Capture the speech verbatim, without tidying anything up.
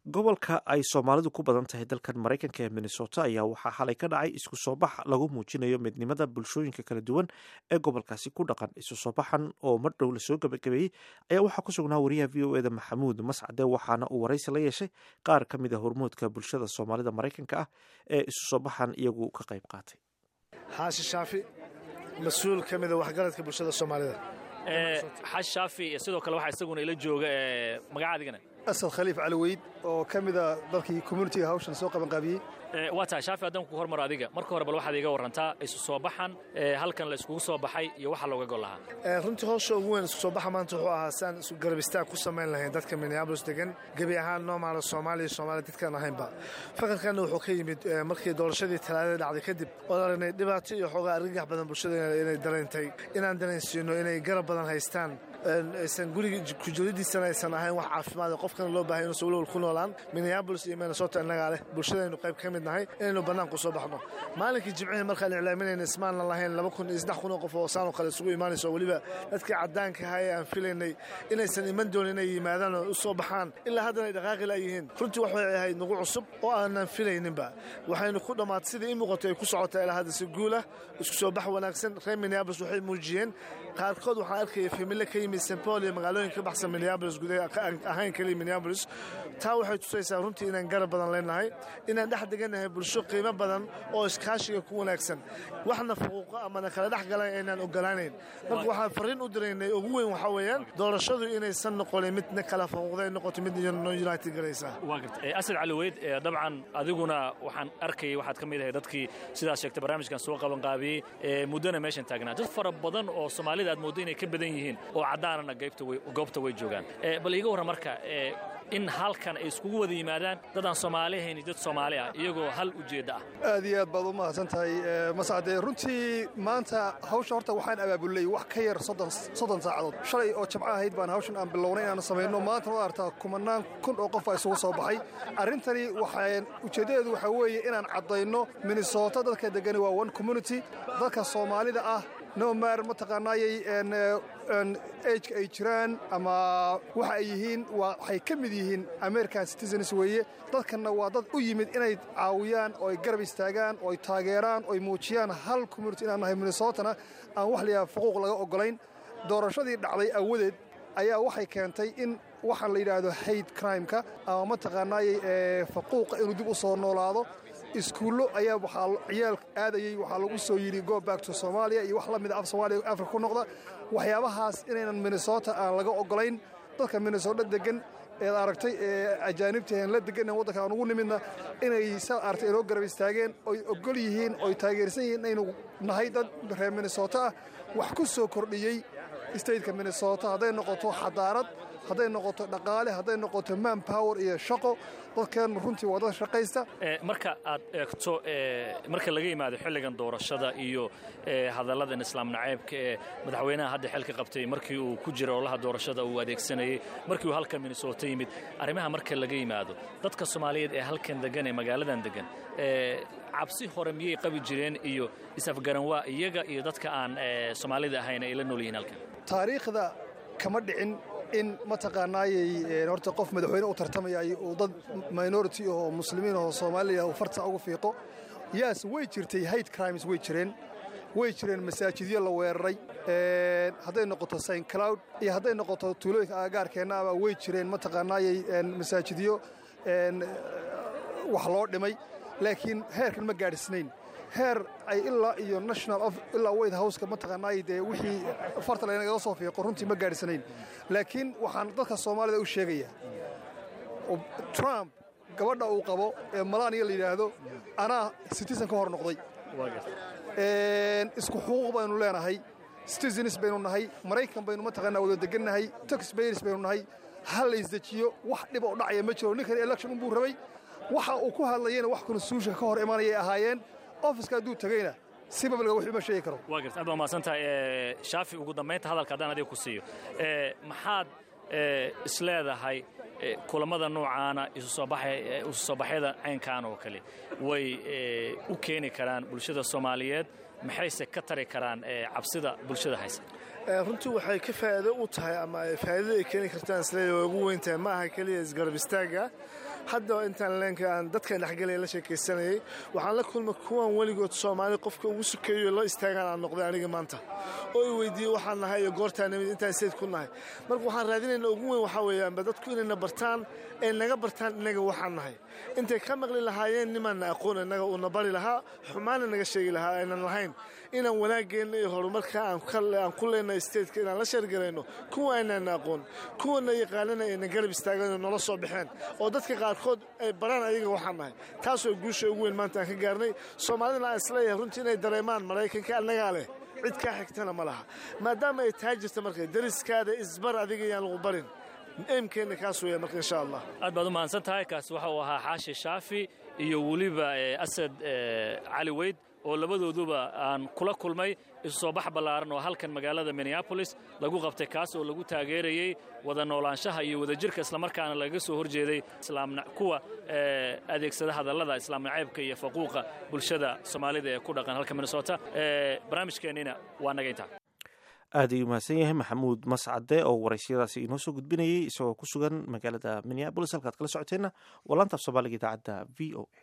Gobolka ay Soomaalidu ku badan tahay dalkan Maraykanka ee Minnesota ayaa waxaa xalay ka dhacay isku soo bax lagu muujinayo midnimada bulshooyinka kala duwan ee gobolkaasi ku dhaqan. Isu soo baxan oo mar dhow lasoo gabagabeeyey ayaa waxaa ku sugnaa wariyaha V O E da Maxamuud Mascade, waxaana uu waraysi la yeeshay qaar ka mid a hormoodka bulshada Soomaalida Maraykanka ah ee isu soo baxan iyagu ka qayb qaatay. Xaashi Shaafi, mas-uul ka mida waxgaradka bulshada Soomaalida. Xaashi Shaafi, sidoo kale waxaa isaguna ila jooga, magacaadigana? Asad Khaliif Caliweyd, oo ka mida dadkii communitiga hawshan soo qabanqaabiyey. Waa tahay Shaafi, haddaan ku hormaro adiga, marka hore bal waxaad iiga warrantaa isu soo baxan halkan la iskugu soo baxay iyo waxa looga gol lahaa. Runtii howsha ugu weyn isku soo baxa maanta wuxuu ahaa si aan isu garab istaag ku samayn lahayn dadka Minneapolis degan, gebi ahaan noomaala Soomaaliya, Soomaaliya dadkaan ahaynba. Fakarkanna wuxuu ka yimid markii doorashadii Talaadada dhacday kadib, oon aragnay dhibaato iyo xoogaa argagax badan bulshada inay dareentay, inaan dareensiino inay garab badan haystaan, aysan guriga kujiridiisana aysan ahayn wax caafimaad, qofkana loo bahay inuusan walwal ku noolaan. Minneapolis iyo Minnesota innagaa leh, bulshadaynu qayb ka mid nahay, inaynu bannaanku soo baxno. Maalinkii Jimcihii markaan iclaaminayna ismaanna lahayn laba kun iyo saddex kun oo qof oo saanoo kale isugu imaanayso, weliba dadkii caddaanka ahaa ee aan filaynay inaysan iman doonin inay yimaadaan oo u soo baxaan, ilaa haddana ay dhaqaaqi laayihiin. Runtii waxay ahayd nagu cusub oo aanan filayninba. Waxaynu ku dhammaatay sidii ii muuqato ay ku socotaa ilaa hadda si guulah, isku soo bax wanaagsan. Reer Minneapolis waxay muujiyeen, qaarkood waxaan arkaya familo ka yimid Saint Paul iyo magaalooyin ka baxsan Minneapolis gudaha, ahayn keliya Minneapolis. Taa waxay tusaysaa runtii inaan garab badan leenahay, inaan dhex degannahay bulsho qiimo badan oo iskaashiga ku wanaagsan, waxna fuquuqo amana kala dhex galan aynaan ogolaanayn. Marka waxaan fariin u diraynay ugu weyn waxaa weeyaan doorashadu inaysan noqonin midna kala fuquuqda, ay noqoto mid united garaysa. Waa garta, Asad Caliweyd, dabcan adiguna waxaan arkayay waxaad ka mid ahay dadkii sidaas sheegtay barnaamijkan soo qabanqaabiyey, muddona meeshan taagnaa. Dad fara badan oo Soomaalida aad mooddo inay ka badan yihiin oo caddaanana goobta way joogaan. Bal iiga warran marka in halkan ay iskugu wada yimaadaan dad aan Soomaali ahayn iyo dad Soomaali ah iyagoo hal ujeedda ah. Aad iyo aad baad u mahadsan tahay, Mascade. Runtii maanta hawsha horta waxaan abaabulnay wax ka yar soddon saacadood. Shalay oo Jamco ahayd baan hawshan aan bilownay inaanu samayno. Maanta waad artaa, kumanaan kun oo qof baa isugu soo baxay. Arrintani waxaan ujeeddadeedu waxaa weeye inaan caddayno Minnesota dadka degani waa one community. Dadka Soomaalida ah, no matter mataqaanaayay ageka ay jiraan ama waxa ay yihiin, waxay ka mid yihiin American citizens weeye. Dadkanna waa dad u yimid inay caawiyaan oo ay garab istaagaan oo ay taageeraan oo ay muujiyaan hal community inaan nahay, Minnesotana aan wax la yidhaha fuquuq laga oggolayn. Doorashadii dhacday awadeed ayaa waxay keentay in waxaan la yidhaahdo hate crimeka ama mataqaanaayay faquuqa inuu dib u soo noolaado. Iskuullo ayaa waxaa ciyaal aadayey waxaa lagu soo yidhi "Go back to Somalia" iyo wax la mida, af Soomaaliya Afrika ku noqda. Waxyaabahaas inaynan Minnesota aan laga oggolayn. Dadka Minnesota degan eed aragtay ee ajaanibta la degan waddanka aan ugu nimidna inay saa aragtay inoo garab istaageen oy ogol yihiin oy taageersan yihiin inaynu nahay dad reer Minnesota ah, wax ku soo kordhiyey stateka Minnesota, hadday noqoto xadaarad, hadday noqoto dhaqaale, hadday noqoto man power iyo shaqo. Dadkeen runtii waa dad shaqaysta. Marka aad eegto, marka laga yimaado xilligan doorashada iyo hadalladan islaam naceybka ee madaxweynaha hadda xilka qabtay markii uu ku jira ololaha doorashada uu adeegsanayey, markii uu halkan Minnesota yimid, arrimaha marka laga yimaado, dadka Soomaaliyeed ee halkan degan ee magaaladan degan cabsi hore miyay qabi jireen iyo is-afgaranwaa iyaga iyo dadka aan Soomaalida ahayn ay la nool yihiin halkan? Taariikhda kama dhicin in mataqaanaayay horta qof madaxweyne u tartamayay uu dad minority oo Muslimiin oo Soomaaliya uu farta ugu fiiqo. Yaas, way jirtay, hate crimes way jireen, way jireen masaajidyo la weeraray, hadday noqoto Saint Cloud iyo hadday noqoto tuulooyinka agagaarkeenna aba way jireen mataqaanaayay masaajidyo wax loo dhimay, laakiin heerkan ma gaadhisnayn, heer ay ilaa iyo national of ilaa White Houseka mataqaanaay dee wixii farta laynagaga soo fiiqo runtii ma gaadhisnayn. Laakiin waxaan dadka Soomaalida u sheegayaa, Trump gabadha uu qabo ee Melania la yidhaahdo anaa citizen ka hor noqday. Isku xuquuq baynu leenahay, citizens baynu nahay, Maraykan baynu mataqaanaa wada degannahay, taxpayers baynu nahay. Ha la isdejiyo, wax dhib oo dhacaya ma jiro. Ninkan election unbuu rabay, waxa uu ku hadlayena wax constitutionka ka hor imanayay ahaayeen. Officeka hadduu tegeyna si publicga wax uma sheegi karo. Waa garta, aad baa mahadsan tahay, Shaafi. Ugu dambaynta hadalka haddaan adiga ku siiyo, maxaad isleedahay kulammada noocaana, isu soo baxyada caynkan oo kale way u keeni karaan bulshada Soomaaliyeed, maxayse ka tari karaan cabsida bulshada haysa? Runtii waxay ka faa'iido u tahay ama ay faa'iidada ay keeni kartaan isleeyahay way ugu weyn tahay, ma aha keliya isgarab istaagga. Hadda intaan leenka aan dadkan dhexgelaya la sheekaysanayay, waxaan la kulmay kuwan weligood Soomaali qofka ugu sukeeyo la istaagaan aan noqday aniga maanta, oo i weydiiyey waxaan nahay iyo goortaan nimid, intaan sayd ku nahay. Marka waxaan raadinayna ugu weyn waxaa weeyaanba dadku inayna bartaan, ay naga bartaan innaga waxaan nahay, intay ka maqli lahaayeen nimaanna aqoon innaga uuna bari lahaa, xumaana naga sheegi lahaa aynan lahayn, inaan wanaageenna iyo horumarka aan ku leenahay stateka inaan la sheergarayno kuwa aynaana aqoon, kuwana yaqaanana ayna garab istaageen oo nala soo baxeen, oo dadka qaarkood ay baraan ayaga waxaan nahay. Taasoo guusha ugu weyn maanta aan ka gaarnay. Soomaalidana aan isleeyahay runtii inay dareemaan Maraykanka annagaa leh, cid kaa xigtana ma laha, maadaama ay taa jirta. Marka dariskaada isbar, adiga yaan lagu barin. Aimkeenna kaas weeya marka, insha Allah. Aad baad u mahadsan tahay. Kaasi waxa uu ahaa Xaashi Shaafi iyo weliba Asad Cali Weyd, oo labadooduba aan kula kulmay isu soo bax ballaaran oo halkan magaalada Minneapolis lagu qabtay, kaas oo lagu taageerayey wada noolaanshaha iyo wadajirka, islamarkaana lagaga soo horjeeday kuwa adeegsada hadallada islaam nacaybka iyo faquuqa bulshada Soomaalida ee ku dhaqan halka Minnesota. Barnaamijkeennina waa naga intaa. Aad ayuu mahadsan yahay Maxamuud Mascade oo waraysiyadaasi inoo soo gudbinayay isagoo ku sugan magaalada Minneapolis. Halkaad kala socoteenna waa laanta af Soomaaliga idaacadda V O A.